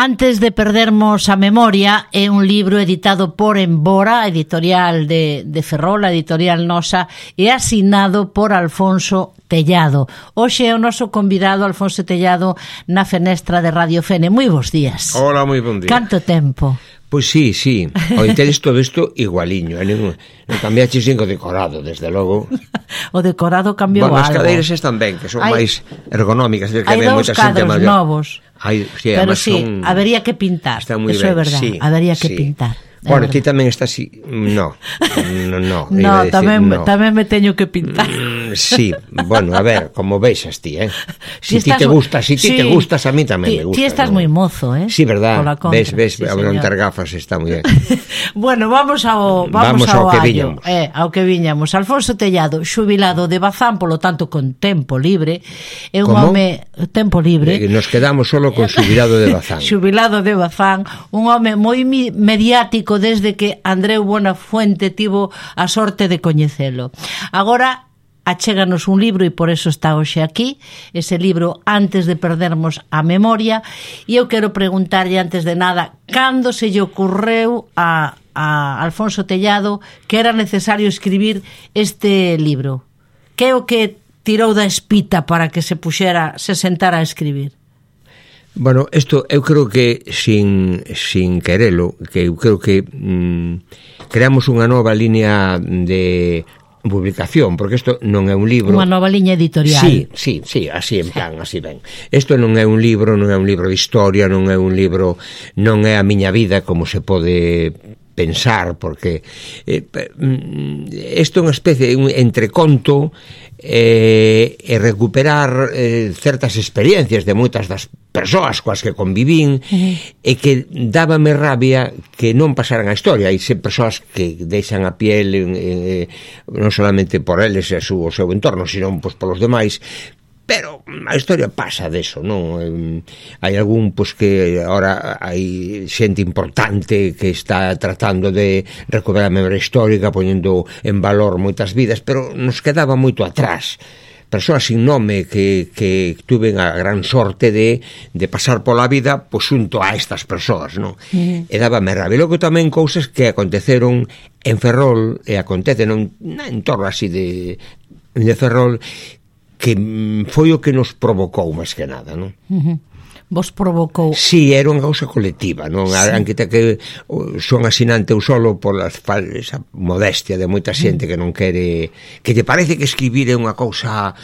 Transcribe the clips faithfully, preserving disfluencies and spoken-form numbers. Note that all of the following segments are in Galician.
Antes de perdermos a memoria é un libro editado por Embora, editorial de, de Ferrol, editorial nosa, e asignado por Alfonso Tellado. Hoxe é o noso convidado Alfonso Tellado na fenestra de Radio Fene. Moi bons días. Hola, moi bon día. Canto tempo? Pois sí, sí, o tedes todo isto igualiño, non, non cambiaches cinco decorado, desde logo. O decorado cambiou bueno, algo. As cadeiras están ben, que son hai, máis ergonómicas. Que hai dous cadros novos, hai, sí, pero sí, son, habería que pintar, eso ben. é verdad, sí, habería que sí. pintar. Bueno, ti tamén estás así. No, no, no. No, tamén, no. tamén me teño que pintar. Mm, sí, bueno, a ver, como veixas ti, eh? Si ti te gusta, si ti sí. te gustas, a mí tamén me gusta. Ti estás moi mozo, eh? Sí, verdad. Ves, ves, sí, a non ter gafas está moi ben. Bueno, vamos ao vamos, vamos ao, ao que viñamos. Eh, ao que viñamos. Alfonso Tellado, xubilado de Bazán, polo tanto con tempo libre, é un home tempo libre. Nos quedamos solo con xubilado de Bazán. Xubilado de Bazán, un home moi mediático desde que Andreu Buenafuente tivo a sorte de coñecelo. Agora achéganos un libro e por eso está hoxe aquí, ese libro Antes de perdermos a memoria, e eu quero preguntarlle antes de nada, cando se lle ocurreu a, a Alfonso Tellado que era necesario escribir este libro? Que é o que tirou da espita para que se puxera, se sentara a escribir? Bueno, isto eu creo que sin, sin querelo, que eu creo que mm, creamos unha nova línea de publicación, porque isto non é un libro... Unha nova liña editorial. Sí, sí, sí, así en plan, así ben. Isto non é un libro, non é un libro de historia, non é un libro, non é a miña vida como se pode pensar, porque eh, isto é unha especie de un entreconto eh, e recuperar eh, certas experiencias de moitas das persoas coas que convivín, uh-huh. e que dábame rabia que non pasaran a historia. Hai persoas que deixan a piel eh, non solamente por eles e o seu entorno, sino pues, polos demais. Pero a historia pasa deso, non? Hai algún, pois, que agora hai xente importante que está tratando de recuperar a memoria histórica, poñendo en valor moitas vidas, pero nos quedaba moito atrás. Persoas sin nome que, que tuven a gran sorte de, de pasar pola vida pois xunto a estas persoas, non? Mm. E dábame rabia. E logo tamén cousas que aconteceron en Ferrol, e acontecen en torno así de, de Ferrol, que foi o que nos provocou máis que nada, non? Uh-huh. Vos provocou? Sí, era unha causa colectiva, non? Sí. Aunque que son asinante eu solo pola esa modestia de moita xente que non quere, que te parece que escribir é unha cousa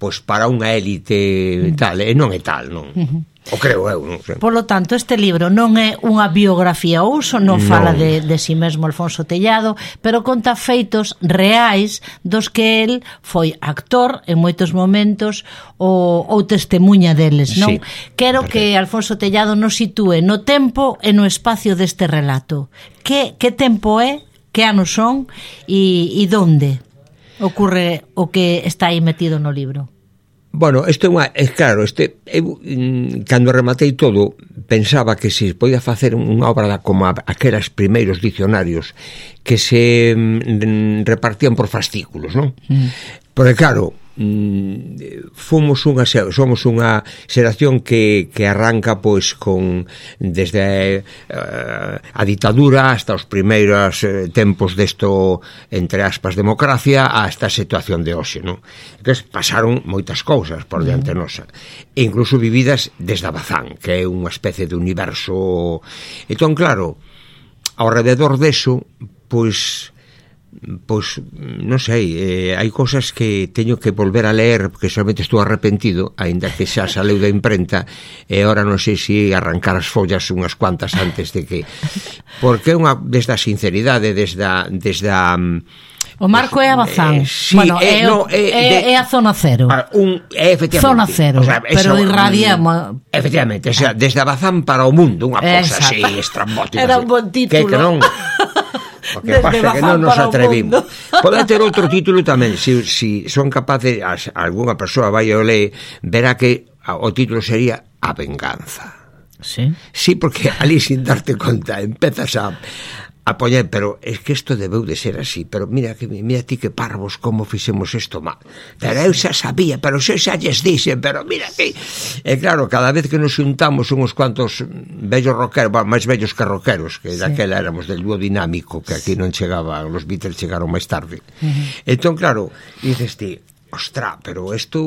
pois para unha élite uh-huh. tal, e non é tal, non? Uh-huh. O creo eu, non sei. Por lo tanto, este libro non é unha biografía ou uso, non fala non. de, de si mesmo Alfonso Tellado, pero conta feitos reais dos que el foi actor en moitos momentos ou, ou testemunha deles, non? Sí, quero perfecto. Que Alfonso Tellado nos sitúe no tempo e no espacio deste relato. Que, que tempo é, que anos son e, e donde ocorre o que está aí metido no libro? Bueno, isto é unha, é claro, este, eu, cando rematei todo, pensaba que se podía facer unha obra da, como aqueles primeiros dicionarios que se mm, repartían por fascículos, non? Mm. Porque claro, mm, fomos unha somos unha xeración que, que arranca pois con desde uh, a ditadura hasta os primeiros uh, tempos desto, entre aspas, democracia, hasta a situación de hoxe, non? Entón, pasaron moitas cousas por diante nosa, e incluso vividas desde a Bazán, que é unha especie de universo. Entón, claro, ao rededor deso, pois pois, non sei, eh, hai cousas que teño que volver a ler porque solamente estou arrepentido, aínda que xa saleu da imprenta, e agora non sei se arrancar as follas unhas cuantas antes de que, porque é unha desde a sinceridade, desde a, desde a o marco é a Bazán. Eh, sí, bueno, é, é, no, é, é, de, é a zona cero. Un, é efectivamente. Zona cero, o sea, pero irradia... Efectivamente, o sea, desde a Bazán para o mundo, unha cousa así estrambótica. Era un bon título. Que, que non... O que pasa é que non nos atrevimos. Pode ter outro título tamén. Se si, si son capaces, algunha persoa vai o ler, verá que o título sería A Venganza. Sí. Sí, porque ali sin darte conta empezas a apoñar, pero es que isto debeu de ser así, pero mira que mira ti que parvos como fixemos isto mal, pero eu xa sabía, pero xa xa lles dixen, pero mira que, e claro, cada vez que nos xuntamos unhos cuantos vellos rockeros, bueno, máis vellos que rockeros, que sí. Daquela éramos del dúo dinámico, que aquí non chegaba, os Beatles chegaron máis tarde, uh-huh. Entón claro, dices ti, ostra, pero isto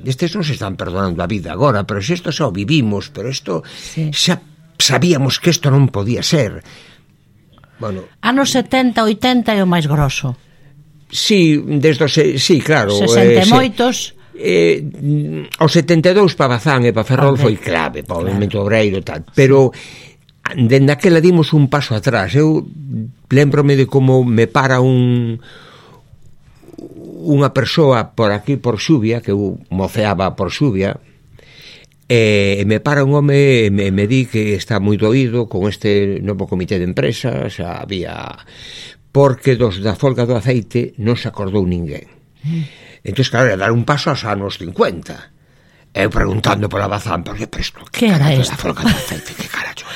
estes non se están perdonando a vida agora, pero se isto xa o vivimos, pero isto sí. Xa sabíamos que isto non podía ser. Bueno, anos setenta, oitenta é o máis grosso. Sí, desde os, sí, claro, sesenta e moitos. Eh, o setenta e dous para Bazán e para Ferrol okay. Foi clave para o movimento claro. Obreiro e tal, pero dende aquela dimos un paso atrás. Eu lembrome de como me para un unha persoa por aquí por Xuvia, que eu moceaba por Xuvia, e me para un home e me, me di que está moi doído con este novo comité de empresa, xa había, porque dos da folga do aceite non se acordou ninguén. Mm. Entón, claro, era dar un paso aos anos cincuenta. Eu preguntando por a Bazán, por que presto? Que era isto? Da folga do aceite, que carallo?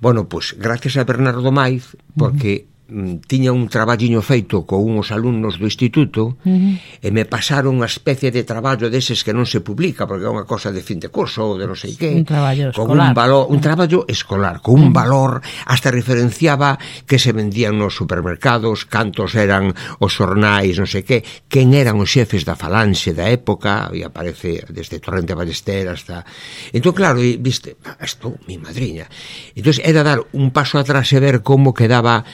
Bueno, pois, pues, gracias a Bernardo Maiz, porque mm. tiña un traballiño feito con uns alumnos do instituto uh-huh. e me pasaron unha especie de traballo deses que non se publica porque é unha cosa de fin de curso ou de non sei que, un traballo con escolar, un valor, un traballo escolar con un uh-huh. valor, hasta referenciaba que se vendían nos supermercados, cantos eran os xornais, non sei que, quen eran os xefes da falanxe da época, e aparece desde Torrente Ballester hasta, entón claro, e, viste, isto, mi madriña, entón era dar un paso atrás e ver como quedaba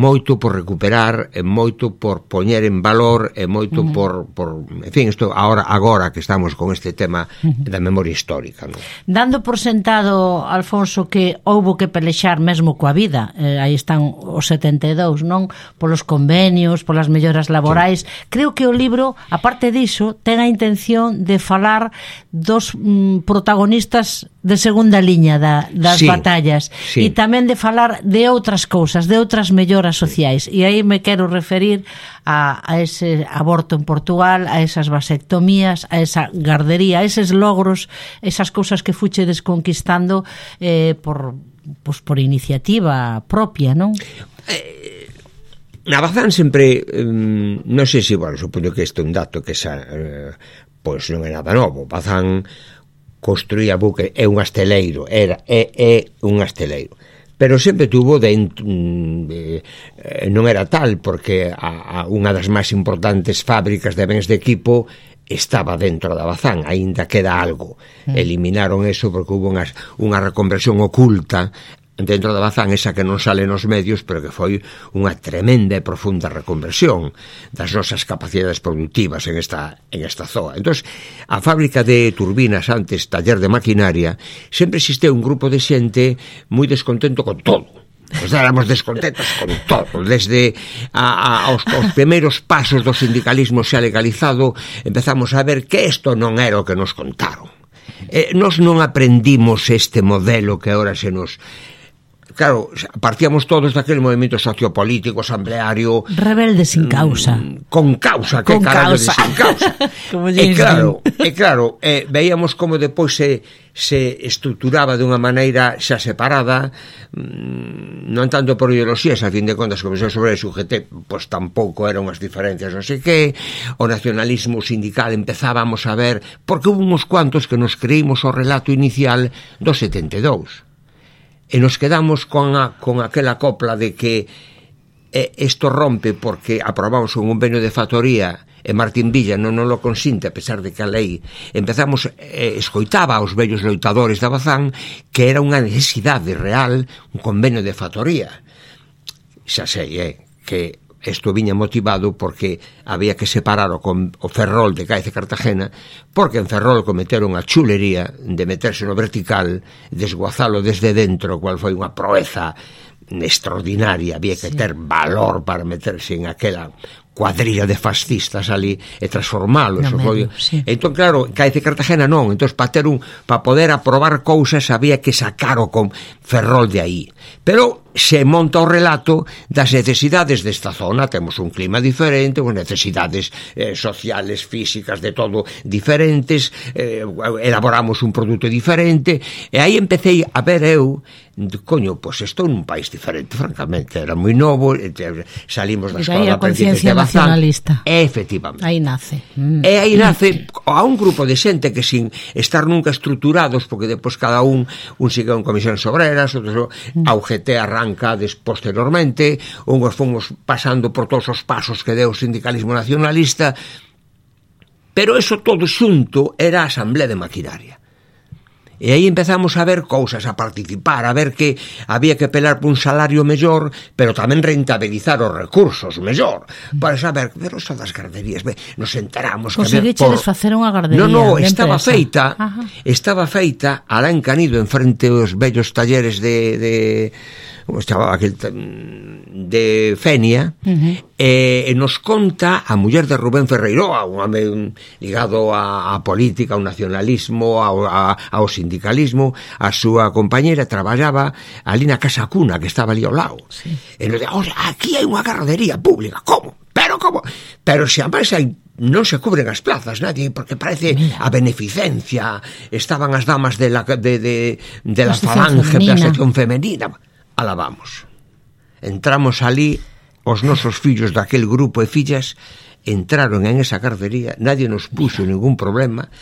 moito por recuperar, e moito por poñer en valor, e moito uh-huh. por, por, en fin, isto agora, agora que estamos con este tema uh-huh. da memoria histórica, non? Dando por sentado, Alfonso, que houbo que pelexar mesmo coa vida, eh, aí están os setenta e dous, non? Polos convenios, polas melloras laborais, sí. Creo que o libro, aparte diso, ten a intención de falar dos mm, protagonistas de segunda liña da, das sí, batallas sí. E tamén de falar de outras cousas, de outras melloras sociais, e aí me quero referir a, a ese aborto en Portugal, a esas vasectomías, a esa gardería, a eses logros, esas cousas que fuche desconquistando eh, por, pues, por iniciativa propia, non? Eh, na Bazán sempre um, non sei se, bueno, supoño que este é un dato que xa, eh, pois non é nada novo. Bazán construía buque, é un asteleiro, era, é, é un asteleiro, pero sempre tuvo dentro, eh, non era tal, porque a, a unha das máis importantes fábricas de bens de equipo estaba dentro da Bazán, aínda queda algo. Mm. Eliminaron eso porque hubo unha, unha reconversión oculta dentro da Bazán, esa que non sale nos medios, pero que foi unha tremenda e profunda reconversión das nosas capacidades productivas en esta, en esta zoa. Entón, a fábrica de turbinas, antes taller de maquinaria, sempre existeu un grupo de xente moi descontento con todo. Pues éramos descontentos con todo, desde a, a, aos, aos primeiros pasos do sindicalismo xa legalizado, empezamos a ver que isto non era o que nos contaron. Eh, nos non aprendimos este modelo que agora se nos... Claro, partíamos todos daquele movimento sociopolítico, asambleario... Rebelde sin causa. Mmm, con causa, que carallo de sin causa. E claro, e claro, eh, veíamos como depois se, se estruturaba de unha maneira xa separada, mmm, non tanto por ideoloxías, a fin de contas, como se sobre o U G T, pois tampouco eran unhas diferencias, non sei que, o nacionalismo sindical empezábamos a ver, porque hubo uns cuantos que nos creímos o relato inicial do setenta e dous. E nos quedamos con, a, con aquela copla de que eh, isto rompe porque aprobamos un convenio de factoría e Martín Villa non nos lo consinte a pesar de que a lei empezamos, eh, escoitaba aos vellos loitadores da Bazán que era unha necesidade real un convenio de factoría. Xa sei, eh, que isto viña motivado porque había que separar o, con, o Ferrol de Cádiz e Cartagena, porque en Ferrol cometeron a chulería de meterse no vertical, desguazalo desde dentro, cual foi unha proeza extraordinaria, había que sí. ter valor para meterse en aquela cuadrilla de fascistas ali e transformalo, no eso foi. Sí. Entón claro, Cádiz e Cartagena non, entón para ter un para poder aprobar cousas había que sacar o con Ferrol de aí. Pero se monta o relato das necesidades desta zona. Temos un clima diferente, con necesidades eh, sociales, físicas, de todo diferentes, eh, elaboramos un produto diferente, e aí empecé a ver eu, coño, pois pues estou nun país diferente, francamente, era moi novo, salimos da escola de aprendices de Bazán, nacionalista. Efectivamente. Aí nace. Mm. E aí nace a un grupo de xente que sin estar nunca estruturados, porque depois cada un, un sigue en comisións obreras, outros mm. a U G T arranca des, posteriormente, unhos fomos pasando por todos os pasos que deu o sindicalismo nacionalista, pero eso todo xunto era a Asamblea de Maquinaria. E aí empezamos a ver cousas, a participar, a ver que había que pelar por un salario mellor, pero tamén rentabilizar os recursos mellor, para saber, pero eso das garderías, ve, nos enteramos que conseguichedes por... facer unha gardería. No, no, estaba feita, Ajá. estaba feita alá en Canido, en frente aos vellos talleres de, de como estaba aquel de Fenia, uh-huh. e, e nos conta a muller de Rubén Ferreiroa, un home ligado a, a política, ao nacionalismo, ao, a, ao sindicalismo, a súa compañera traballaba ali na Casa Cuna, que estaba ali ao lado. Sí. E nos dixo, aquí hai unha gardería pública, como? Pero como? Pero se a máis hai non se cubren as plazas, nadie, porque parece Mira. a beneficencia, estaban as damas de la, de, de, de la falange, da sección femenina. Alabamos. Entramos ali, os nosos fillos daquel grupo e fillas entraron en esa gardería, nadie nos puxo ningún problema,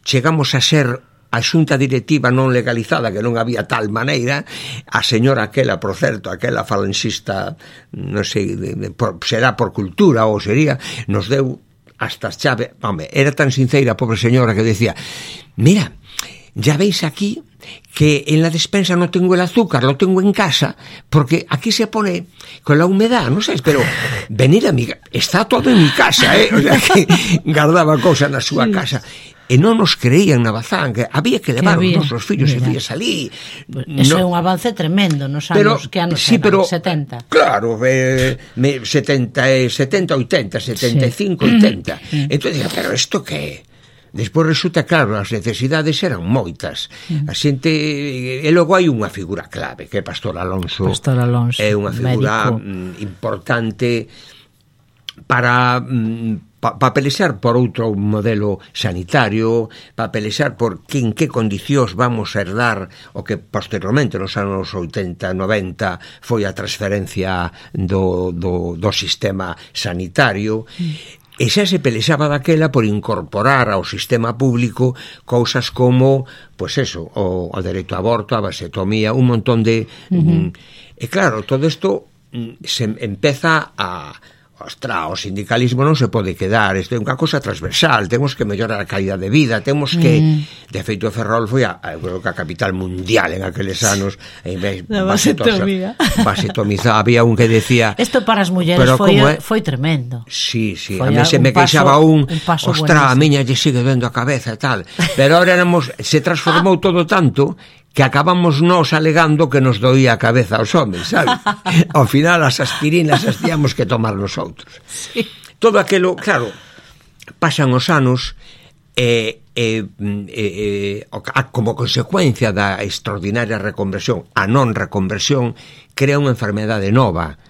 chegamos a ser a xunta directiva non legalizada, que non había tal maneira, a señora aquela, por certo, aquela falanxista, non sei, de, de, por, será por cultura ou sería, nos deu hasta as chave, home, era tan sincera a pobre señora que decía, mira, ya veis aquí que en la despensa no tengo el azúcar, lo tengo en casa, porque aquí se pone con la humedad, no sé, pero venir a mi casa, está todo en mi casa, eh? O sea, que guardaba cosas na súa sí. casa. E non nos creían na Bazán, que había que levar que os nosos fillos Mira. e fillas ali. Pues eso no, é un avance tremendo nos anos, pero, que anos sí, eran, pero, setenta. Claro, eh, setenta, setenta, oitenta, setenta e cinco, sí. oitenta. Mm. Entón, pero isto que despois resulta, claro, as necesidades eran moitas. A xente, e logo hai unha figura clave, que é Pastor Alonso. Pastor Alonso, é unha figura médico. importante para pa, pa pelexar por outro modelo sanitario, para pelexar por que, en que condicións vamos a herdar o que posteriormente nos anos oitenta, noventa foi a transferencia do, do, do sistema sanitario. Mm. E xa se pelexaba daquela por incorporar ao sistema público cousas como, pois eso, o, o dereito a aborto, a vasectomía, un montón de... Uh-huh. E claro, todo isto se empeza a... Ostra, o sindicalismo non se pode quedar, isto é unha cosa transversal, temos que mellorar a calidad de vida, temos que, mm. de feito Ferrol foi a, a, a capital mundial en aqueles anos, en vez de vasectomía. Vasectomizar, había un que decía... Isto para as mulleres foi, é? foi tremendo. Sí, sí, foi a mí se me queixaba un, un ostra, a miña lle sigue dando a cabeza e tal, pero ahora éramos, se transformou todo tanto que acabamos nós alegando que nos doía a cabeza aos homens, sabe? Ao final as aspirinas as tíamos que tomar nos outros. Sí. Todo aquilo, claro, pasan os anos e, e, e, e como consecuencia da extraordinaria reconversión, a non reconversión, crea unha enfermedade nova,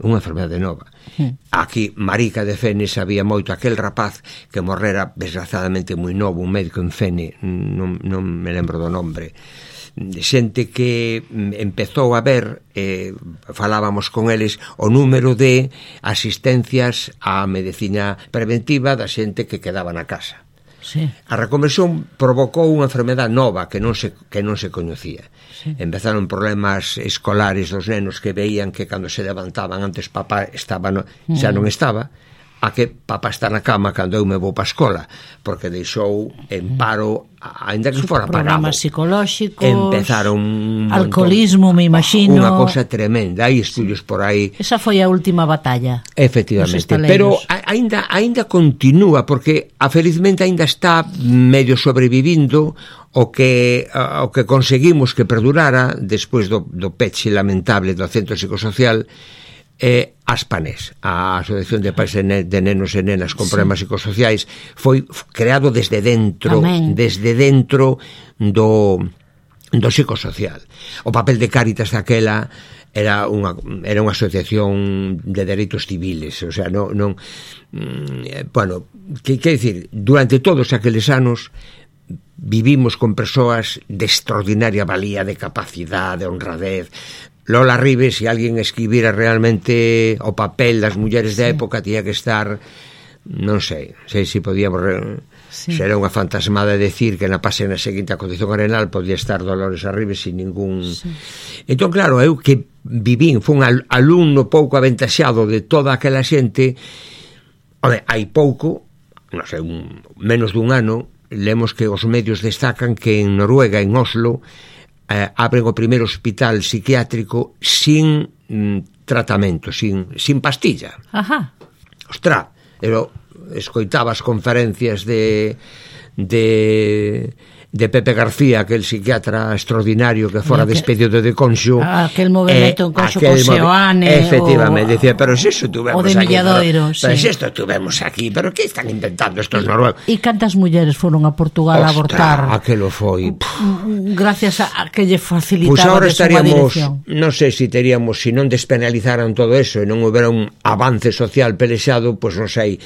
unha enfermedade nova. Sí. Aquí, Marica de Fene, sabía moito aquel rapaz que morrera desgraciadamente moi novo, un médico en Fene, non, non me lembro do nombre, xente que empezou a ver, eh, falábamos con eles, o número de asistencias á medicina preventiva da xente que quedaba na casa. Sí. A reconversión provocou unha enfermedade nova que non se, que non se coñecía. Sí. Empezaron problemas escolares dos nenos que veían que cando se levantaban antes papá estaba no, xa non estaba, a que papá está na cama cando eu me vou pa escola, porque deixou en paro, ainda que fora pagado. Programas psicolóxicos, empezaron alcoholismo, me imagino. Unha cosa tremenda, hai estudios por aí. Esa foi a última batalla. Efectivamente, pero ainda ainda continúa, porque a felizmente ainda está medio sobrevivindo o que o que conseguimos que perdurara despois do, do peche lamentable do centro psicosocial. Eh, Aspanés, a Asociación de Pais de Nenos e Nenas con Problemas sí. psicosociais, foi creado desde dentro, Amén. desde dentro do do psicosocial. O papel de Cáritas daquela era unha, era unha asociación de dereitos civiles, o sea, non, non bueno, que quer dicir, durante todos aqueles anos vivimos con persoas de extraordinaria valía, de capacidade, de honradez. Lola Ribes, se alguén escribira realmente o papel das mulleres da época, tiña que estar, non sei, sei se podíamos sí. Será unha fantasmada decir que na página seguinte a Condición Arenal podía estar Dolores Arribes sin ningún sí. Entón claro, eu que vivín fui un alumno pouco aventaxado de toda aquela xente. Home, hai pouco, non sei, un, menos dun ano, lemos que os medios destacan que en Noruega, en Oslo, eh, abren o primeiro hospital psiquiátrico sin mm, tratamento, sin, sin pastilla. Ajá. Ostra, pero escoitaba as conferencias de de de Pepe García, aquel psiquiatra extraordinario que fora que, despedido de Conxo, aquel movimento eh, en Conxo con Seoane, efectivamente, o, decía, pero se eso tuvemos o de aquí, Milladoiro, pero, sí. pero se esto tuvemos aquí, pero que están inventando estos noruegos? E cantas mulleres foron a Portugal Ostra, a abortar? Aquelo foi gracias a que lle facilitaba pues ahora estaríamos, non sei se teríamos, se non despenalizaran todo eso e non houbera un avance social pelexado, pois pues non sei,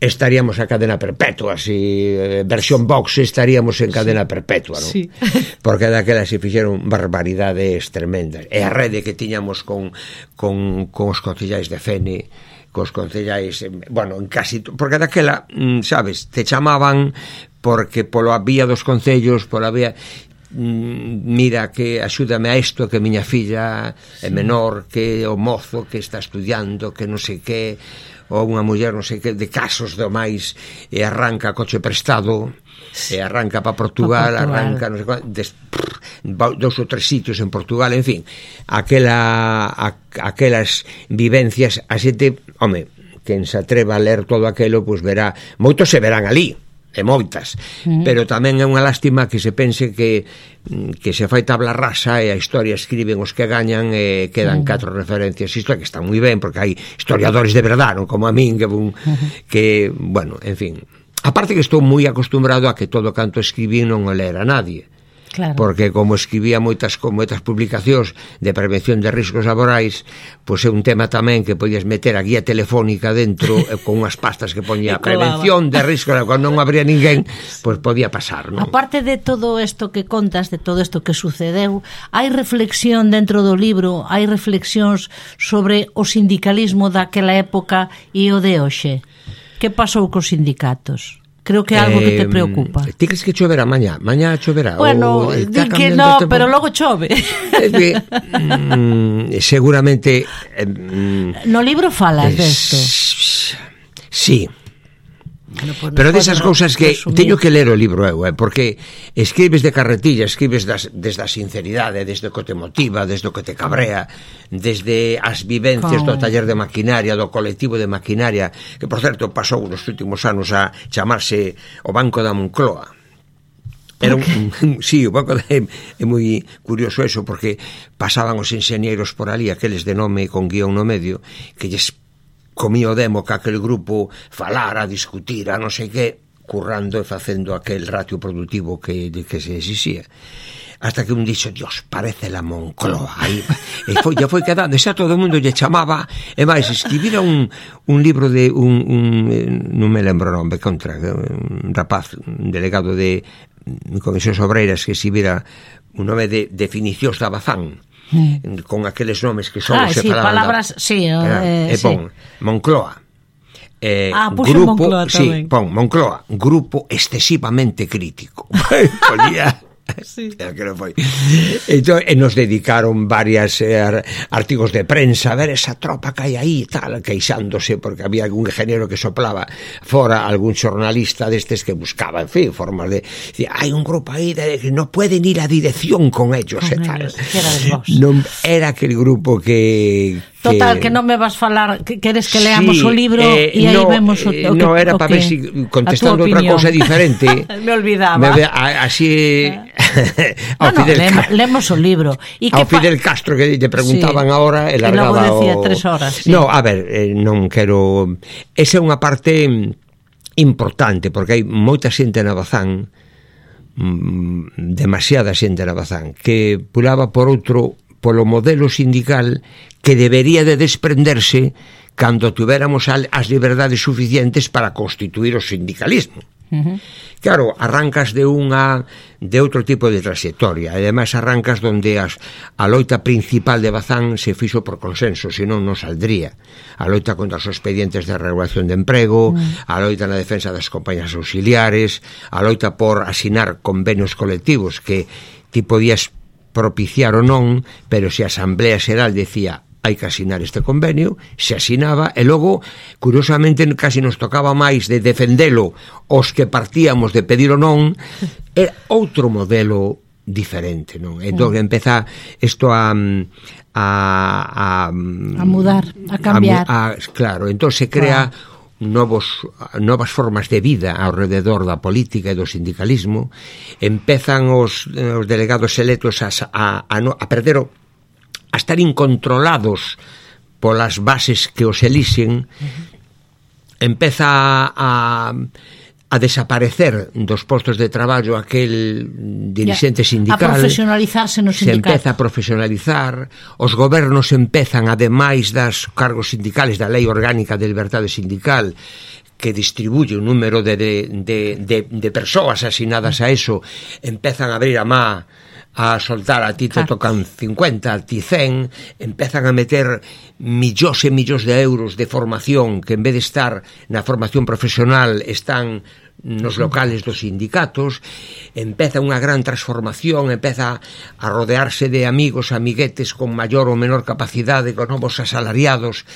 estaríamos a cadena perpetua, si eh, versión Vox estaríamos en cadena sí. perpetua, non? Sí. Porque daquela se fixeron barbaridades tremendas. E a rede que tiñamos con, con, con os concellais de Fene, cos concellais, bueno, en casi, porque daquela, sabes, te chamaban porque polo vía dos concellos, pola vía, mira, que axúdame a isto, que miña filla é menor, que o mozo que está estudiando, que non sei que, ou unha muller non sei que, de casos do máis, e arranca coche prestado, e arranca para Portugal, pa Portugal, arranca non sei qual, des, prr, dous ou tres sitios en Portugal, en fin, aquela, a, aquelas vivencias, a xente, home, quen se atreva a ler todo aquelo, pois verá, moitos se verán ali, e moitas, mm. pero tamén é unha lástima que se pense que que se fai tabla rasa e a historia escriben os que gañan e quedan mm. catro referencias, isto é que está moi ben porque hai historiadores de verdade, non como a min que, un, mm. que bueno, en fin, aparte que estou moi acostumbrado a que todo canto escribí non o lera nadie. Claro. Porque como escribía moitas con moitas publicacións de prevención de riscos laborais, pois é un tema tamén que podías meter a guía telefónica dentro con unhas pastas que poñía prevención de riscos, cando non habría ninguén, pois podía pasar, non? Aparte de todo isto que contas, de todo isto que sucedeu, hai reflexión dentro do libro, hai reflexións sobre o sindicalismo daquela época e o de hoxe. Que pasou cos sindicatos? Creo que é algo eh, que te preocupa. Ti crees que choverá mañá? Mañá choverá? Bueno, di que no, pero logo chove. Es que, mm, seguramente... Eh, no libro falas eh, desto. Sí. Bueno, pues pero desas cousas que resumir. Teño que ler o libro eu, eh, porque escribes de carretilla, escribes das, desde a sinceridade, desde o que te motiva, desde o que te cabrea, desde as vivencias Con... do taller de maquinaria, do colectivo de maquinaria, que por certo pasou nos últimos anos a chamarse o Banco da Moncloa. Era un, un, sí, o banco de, é moi curioso eso, porque pasaban os enxeñeiros por ali, aqueles de nome con guión no medio, que lles comía o demo que aquel grupo falara, discutira, non sei que, currando e facendo aquel ratio productivo que, que se exixía. Hasta que un dixo, Dios, parece la Moncloa. Aí, e foi, ya foi quedando, xa todo o mundo lle chamaba, e máis, escribira un, un libro de un, un non me lembro o nome, contra, un rapaz, un delegado de Comisións Obreiras que escribira un nome de definicións da Bazán, Mm. con aqueles nomes que só ah, se sí, falaban palabras, da, sí, eh, e pon sí. Moncloa eh, ah, grupo, Moncloa sí, pon Moncloa, grupo excesivamente crítico. Ponía sí. Que non foi. Entón, e nos dedicaron varias eh, artigos de prensa a ver esa tropa que hai aí tal, queixándose porque había algún ingeniero que soplaba fora, algún xornalista destes que buscaba, en fin, formas de decir, hai un grupo aí de que non pueden ir a dirección con ellos, con e tal. Ellos, non era aquel grupo que total, que non me vas falar, que queres que leamos sí, o libro e eh, aí no, vemos o, o no, que, era para ver si contestando outra cousa diferente. Me olvidaba. Me, a, así ao no, Fidel no, le, lemos o libro. E ao Fidel Castro que te preguntaban sí. Ahora e largaba e logo decía o... tres horas. Sí. No, a ver, eh, non quero... Esa é unha parte importante porque hai moita xente na Bazán mm, demasiada xente na Bazán, que pulaba por outro, polo modelo sindical que debería de desprenderse cando tuviéramos as liberdades suficientes para constituir o sindicalismo. Uh-huh. Claro, arrancas de unha de outro tipo de trayectoria, e ademais arrancas donde as, a loita principal de Bazán se fixo por consenso, senón non saldría. A loita contra os expedientes de regulación de emprego, uh-huh. a loita na defensa das compañías auxiliares, a loita por asinar convenios colectivos que ti podías propiciar ou non, pero se a Asamblea Xeral decía hai que asinar este convenio, se asinaba, e logo, curiosamente, casi nos tocaba máis de defendelo os que partíamos de pedir ou non, é outro modelo diferente, non? Entón, empeza isto a a, a, a mudar, a cambiar. A, a, claro, entón se crea wow. novos, novas formas de vida ao rededor da política e do sindicalismo, empezan os, os delegados electos a, a, a, a perder o a estar incontrolados polas bases que os elixen, uh-huh. empeza a, a desaparecer dos postos de traballo aquel dirixente sindical, a profesionalizarse no sindicato. Se empeza a profesionalizar, os gobernos empezan, ademais das cargos sindicales da Lei Orgánica de Liberdade Sindical, que distribuye un número de, de, de, de, de persoas asinadas a eso, empezan a abrir a má a soltar, a ti te tocan cincuenta, a ti cen, empezan a meter millóns e millóns de euros de formación que en vez de estar na formación profesional están nos locales dos sindicatos, empeza unha gran transformación, empeza a rodearse de amigos, amiguetes con maior ou menor capacidade, con novos asalariados,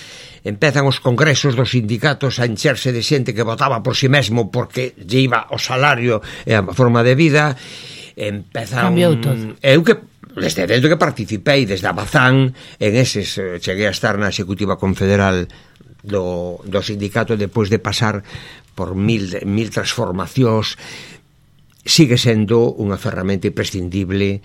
empezan os congresos dos sindicatos a encherse de xente que votaba por si mesmo porque lle iba o salario e a forma de vida. Empeza cambiou un... todo. Eu que desde dentro que participei desde a Bazán en eses, cheguei a estar na Executiva Confederal do, do sindicato depois de pasar por mil, mil transformacións, sigue sendo unha ferramenta imprescindible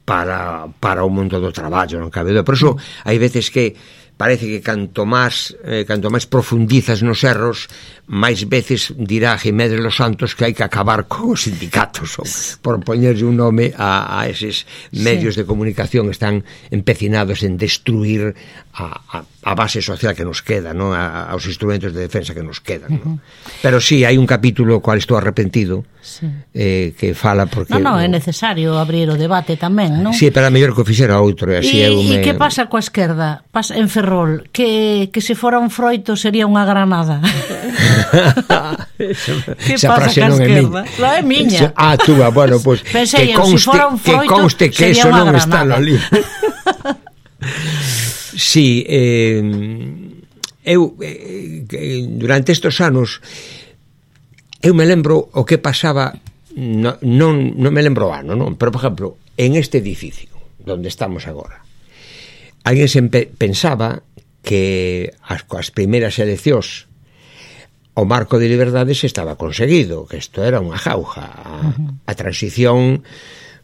para, para o mundo do traballo, non cabe dúbida. Por iso hai veces que parece que canto máis eh, canto máis profundizas nos erros, máis veces dirá Jiménez Los Santos que hai que acabar con os sindicatos, ou, por poñerlle un nome a, a eses medios sí. de comunicación que están empecinados en destruir a, a, a base social que nos queda, ¿no? a, aos instrumentos de defensa que nos quedan, ¿no? Uh-huh. Pero sí, hai un capítulo cual estou arrepentido, sí. eh, que fala porque... Non, non, no, é necesario abrir o debate tamén, non? Sí, pero a mellor que o fixera outro, e así e, eu me... E que pasa coa esquerda? Pasa en Ferrol, que, que se fora un froito sería unha granada. Que esa pasa coa esquerda? Non é miña. Ah, túa, bueno, pois pues, que conste, si que conste que eso non está no libro. Sí, eh, eu eh, durante estes anos eu me lembro o que pasaba, no, non, non me lembro o ano, non? Pero, por exemplo, en este edificio donde estamos agora, alguén se pensaba que as, coas primeiras eleccións o marco de liberdades estaba conseguido, que isto era unha jauja. A, a transición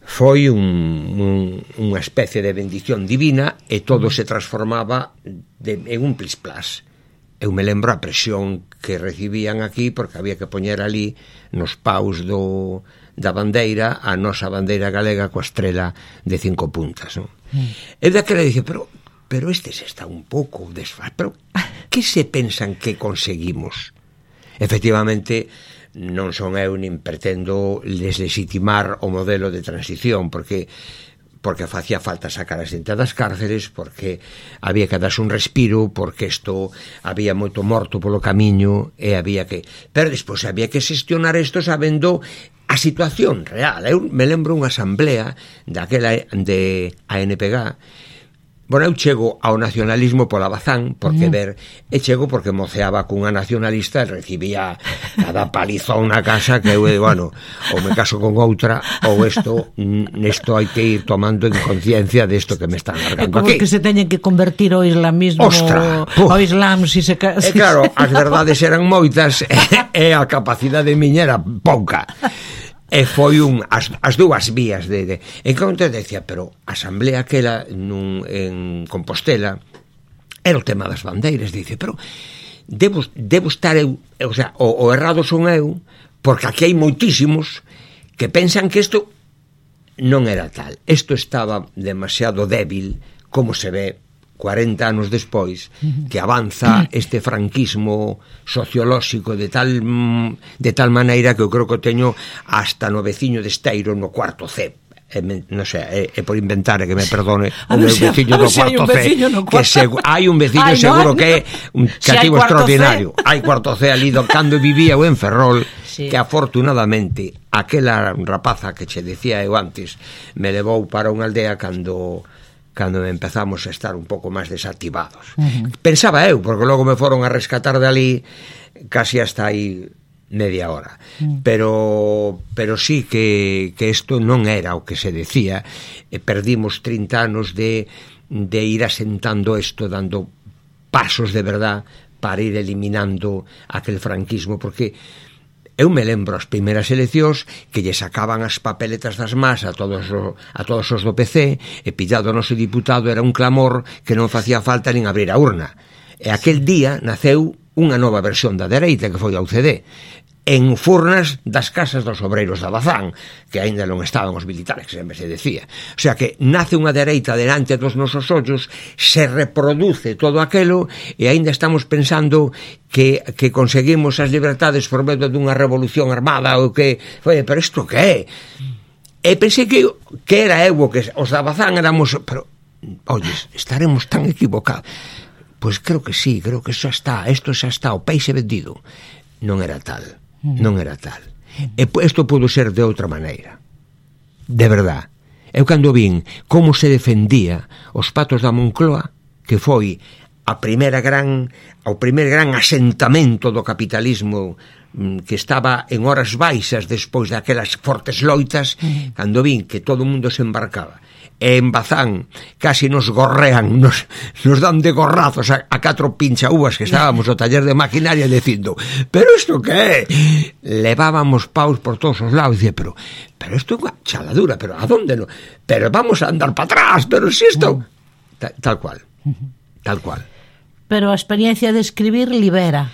foi un, un, unha especie de bendición divina e todo se transformaba de, en un plis-plas. Eu me lembro a presión que recibían aquí porque había que poñer ali nos paus do, da bandeira a nosa bandeira galega coa estrela de cinco puntas, non? Mm. E daquela dice, pero, pero estes está un pouco desfaz, pero que se pensan que conseguimos? Efectivamente, non son eu nin pretendo deslegitimar o modelo de transición, porque porque facía falta sacar a xente das cárceles, porque había que darse un respiro, porque isto había moito morto polo camiño e había que... Pero despois había que xestionar isto sabendo a situación real. Eu me lembro unha asamblea daquela de A N P G. Bueno, eu chego ao nacionalismo pola Bazán, porque mm. ver, e chego porque moceaba cunha nacionalista e recibía cada palizón na casa que eu, bueno, ou me caso con outra, ou isto, nesto hai que ir tomando en conciencia desto que me están largando aquí. É como que se teñen que convertir ao islamismo, Ostra, ao islam, si se... E claro, as verdades eran moitas e a capacidade miña era pouca. E foi un as, as dúas vías de, de en que te decía, pero a asamblea aquela nun, en Compostela era o tema das bandeiras, dice, pero debo, debo estar eu, o sea, o, o errado son eu, porque aquí hai moitísimos que pensan que isto non era tal. Isto estaba demasiado débil, como se ve cuarenta anos despois, que avanza este franquismo sociolóxico de tal de tal maneira que eu creo que teño hasta no veciño de Esteiro no cuarto C. E, non sei, é, é por inventar, que me perdone o meu veciño do cuarto C, que se, hai un veciño Ay, seguro no, que é un cativo si extraordinario. Hai cuarto C ali do cando vivía eu en Ferrol, sí. Que afortunadamente aquela rapaza que che decía eu antes me levou para unha aldea cando cando empezamos a estar un pouco máis desactivados. Uh-huh. Pensaba eu, porque logo me foron a rescatar de ali casi hasta aí media hora. Uh-huh. Pero pero sí que que isto non era o que se decía. E perdimos trinta anos de de ir asentando isto, dando pasos de verdad para ir eliminando aquel franquismo, porque eu me lembro as primeiras eleccións que lle sacaban as papeletas das más a todos, a todos os do P C, e pillado o noso diputado era un clamor que non facía falta nin abrir a urna. E aquel día naceu unha nova versión da dereita, que foi a U C D, en furnas das casas dos obreiros da Bazán, que aínda non estaban os militares, que sempre se decía. O sea que nace unha dereita delante dos nosos ollos, se reproduce todo aquelo, e aínda estamos pensando que, que conseguimos as libertades por medio dunha revolución armada, ou que, oye, pero isto que é? E pensei que, que era eu, que os da Bazán éramos, pero, oye, estaremos tan equivocados. Pois creo que sí, creo que xa está, isto xa está, o peixe vendido. Non era tal. Non era tal. E isto pudo ser de outra maneira. De verdad. Eu cando vin como se defendía os patos da Moncloa, que foi a primeira gran, o primer gran asentamento do capitalismo que estaba en horas baixas despois daquelas fortes loitas, cando vin que todo o mundo se embarcaba. E en Bazán casi nos gorrean, nos, nos dan de gorrazos a, a catro pinchaúas que estábamos no taller de maquinaria dicindo, pero isto que é? Levábamos paus por todos os lados, e dicía, pero pero isto é unha chaladura, pero a donde no? Pero vamos a andar para atrás, pero si isto... Ta, tal cual, tal cual. Pero a experiencia de escribir libera.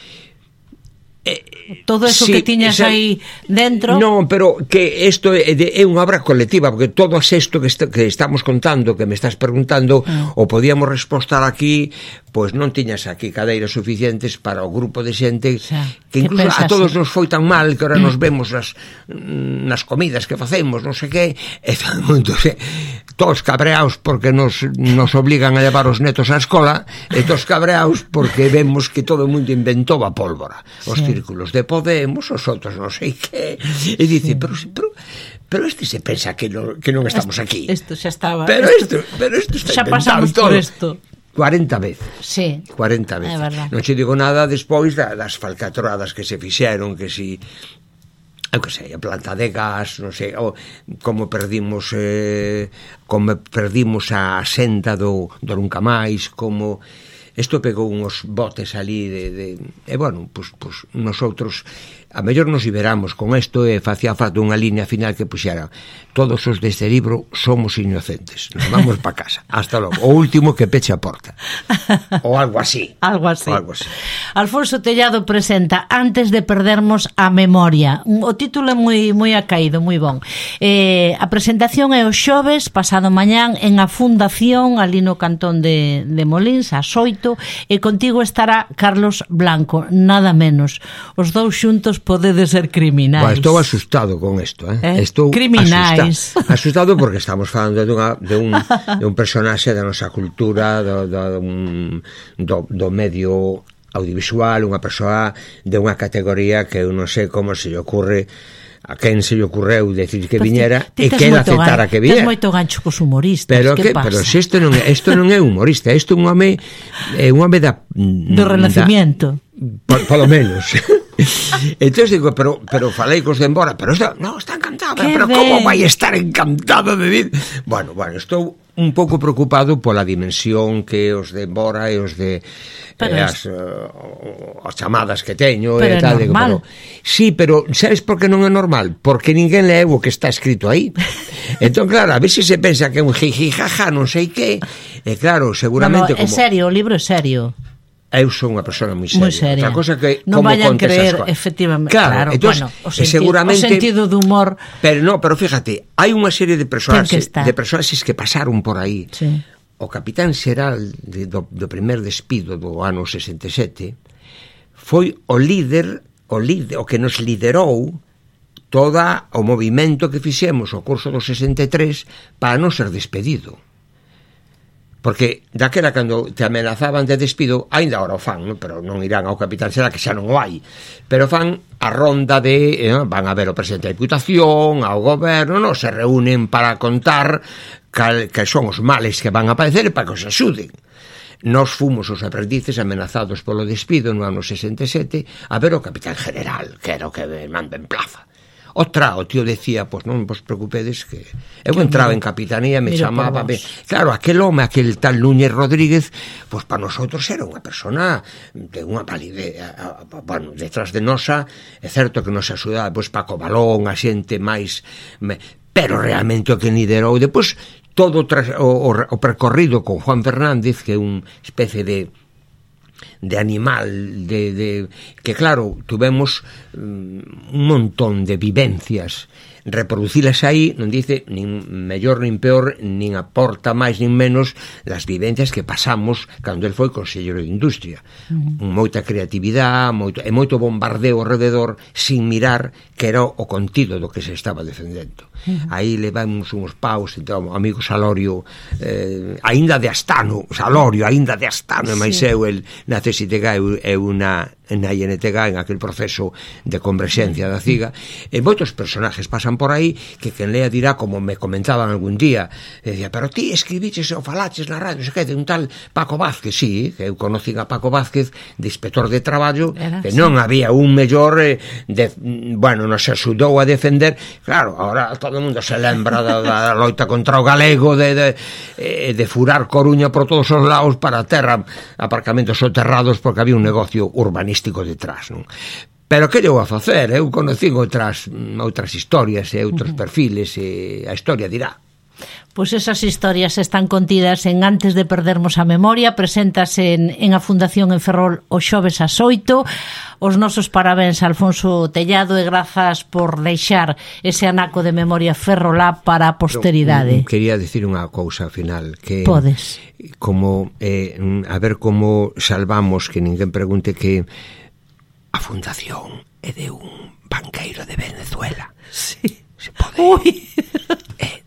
Eh, todo eso sí, que tiñas esa, aí dentro. Non, pero que isto é, é unha obra colectiva, porque todo isto que, est que estamos contando, que me estás preguntando, ah. o podíamos respostar aquí, pois non tiñas aquí cadeiras suficientes para o grupo de xente, o sea, que incluso a todos nos foi tan mal que ahora nos vemos nas, nas comidas que facemos, non sei que, e todo mundo, se, todos cabreados porque nos, nos obligan a levar os netos á escola, e todos cabreados porque vemos que todo o mundo inventou a pólvora, os sí. círculos de Podemos, os outros non sei que, e dice, sí. pero, pero, pero este se pensa que, no, que non estamos aquí. Isto xa estaba. Pero isto, pero isto está xa pasamos todo. Por isto. cuarenta veces. Sí. cuarenta veces. Non che digo nada despois da, das falcatroadas que se fixeron, que si eu que sei, a planta de gas, non sei, o, como perdimos eh, como perdimos a senda do, do Nunca Máis, como isto pegou uns botes ali de, de e bueno, pues, pues nosotros a mellor nos liberamos con isto e facía falta unha línea final que puxera todos os deste libro somos inocentes, nos vamos pa casa, hasta logo, o último que peche a porta ou algo así algo así. O algo así. Alfonso Tellado presenta Antes de perdermos a memoria, o título é moi, moi acaído, moi bon. Eh, a presentación é o xoves pasado mañán en a Fundación ali no cantón de, de Molins ás oito, e contigo estará Carlos Blanco, nada menos. Os dous xuntos podedes ser criminais. Bueno, estou asustado con isto, eh? eh? Estou criminais. Asustado, asustado porque estamos falando de, unha, de, un, de un personaxe da nosa cultura, do, do, do, do medio audiovisual, unha persoa de unha categoría que eu non sei como se lle ocurre a quen se lle ocurreu decir que viñera e que ela aceptara que viñera. Tens moito gancho cos humoristas, pero que, que pasa? Pero se isto non é, isto non é humorista, isto é un home é un home da do Renacimiento. Da, por, polo menos. Entón digo, pero pero falei cos de embora, pero isto, no, está encantado, pero ben. Como vai estar encantado de vir? Bueno, bueno, estou un pouco preocupado pola dimensión que os de embora e os de eh, as, uh, as chamadas que teño pero e tal, digo, pero sí, pero sabes por que non é normal? Porque ninguén lee o que está escrito aí. Entón, claro, a ver se se pensa que é un jiji jaja, non sei que, e claro, seguramente no, no, como... é serio, o libro é serio. eu son unha persona moi seria. Moi seria. Outra cosa que non como vayan contes creer, as cousas. efectivamente, claro, claro, entonces, bueno, o sentido, seguramente, o sentido do humor. Pero no, pero fíjate, hai unha serie de personaxes, que de personaxes que pasaron por aí. Sí. O capitán xeral de, do, do primer despido do ano sesenta e sete foi o líder, o líder, o que nos liderou todo o movimento que fixemos o curso do sesenta e tres para non ser despedido. Porque daquela cando te amenazaban de despido, aínda agora o fan, ¿no? Pero non irán ao capitán xeral, que xa non o hai, pero fan a ronda de, eh, van a ver o presidente da Diputación, ao goberno, no, se reúnen para contar cal, que son os males que van a padecer e para que os axuden. Nos fomos os aprendices amenazados polo despido no ano sesenta e sete a ver o capitán general, que era o que manda en plaza. Outra, o tío decía, pois non vos preocupedes que eu entraba en capitanía, me chamaba, me... claro, aquel home, aquel tal Núñez Rodríguez, pois para nosotros era unha persona de unha validez, bueno, detrás de nosa, é certo que nos axudaba, pois Paco Balón, a xente máis, pero realmente o que liderou depois todo o, o, o percorrido con Juan Fernández, que é unha especie de de animal, de, de que claro, tuvemos um, un montón de vivencias, reproducilas aí non dice nin mellor nin peor, nin aporta máis nin menos las vivencias que pasamos cando el foi conselleiro de Industria. Uh-huh. Moita creatividade, moito, e moito bombardeo alrededor sin mirar que era o contido do que se estaba defendendo. Uh-huh. Aí levamos uns paus, então, amigo Salorio, eh, aínda de Astano, Salorio, aínda de Astano, e máis sí. eu, el na C S I T G, eu, eu na na I N T G, en aquel proceso de converxencia da C I G A, e moitos personajes pasan por aí que quen lea dirá, como me comentaban algún día, decía, pero ti escribiches ou falaches na radio, se que de un tal Paco Vázquez, sí, que eu conocín a Paco Vázquez de inspector de traballo, era, que non sí. había un mellor eh, de, bueno, nos axudou a defender, claro, ahora todo o mundo se lembra da, da loita contra o galego, de, de, de furar Coruña por todos os lados para a terra, aparcamentos soterrados porque había un negocio urbanístico detrás, non? Pero que eu a facer? Eu conocín outras outras historias e outros uh-huh. perfiles e a historia dirá. Pois esas historias están contidas en Antes de perdermos a memoria, preséntase en, en a Fundación en Ferrol o xoves ás oito. Os nosos parabéns a Alfonso Tellado e grazas por deixar ese anaco de memoria ferrolá para a posteridade. Pero, quería dicir unha cousa final, que podes. Como eh, a ver como salvamos que ninguén pregunte que a fundación é de un banqueiro de Venezuela. Sí. Se pode. Ui. Eh,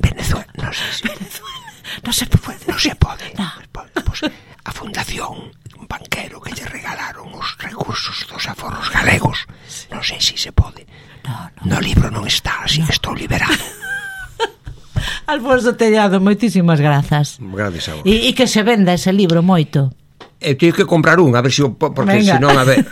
Venezuela, non sei se Venezuela. Non se pode. Non se pode. No. Pues, a fundación, un banquero que lle regalaron os recursos dos aforros galegos. Sí. Non sei se se pode. No, no. No libro non está, así no. que estou liberado. Alfonso Tellado, moitísimas grazas. Gracias a vos. E, e que se venda ese libro moito. Eu teño que comprar un, a ver se, porque senón, a ver...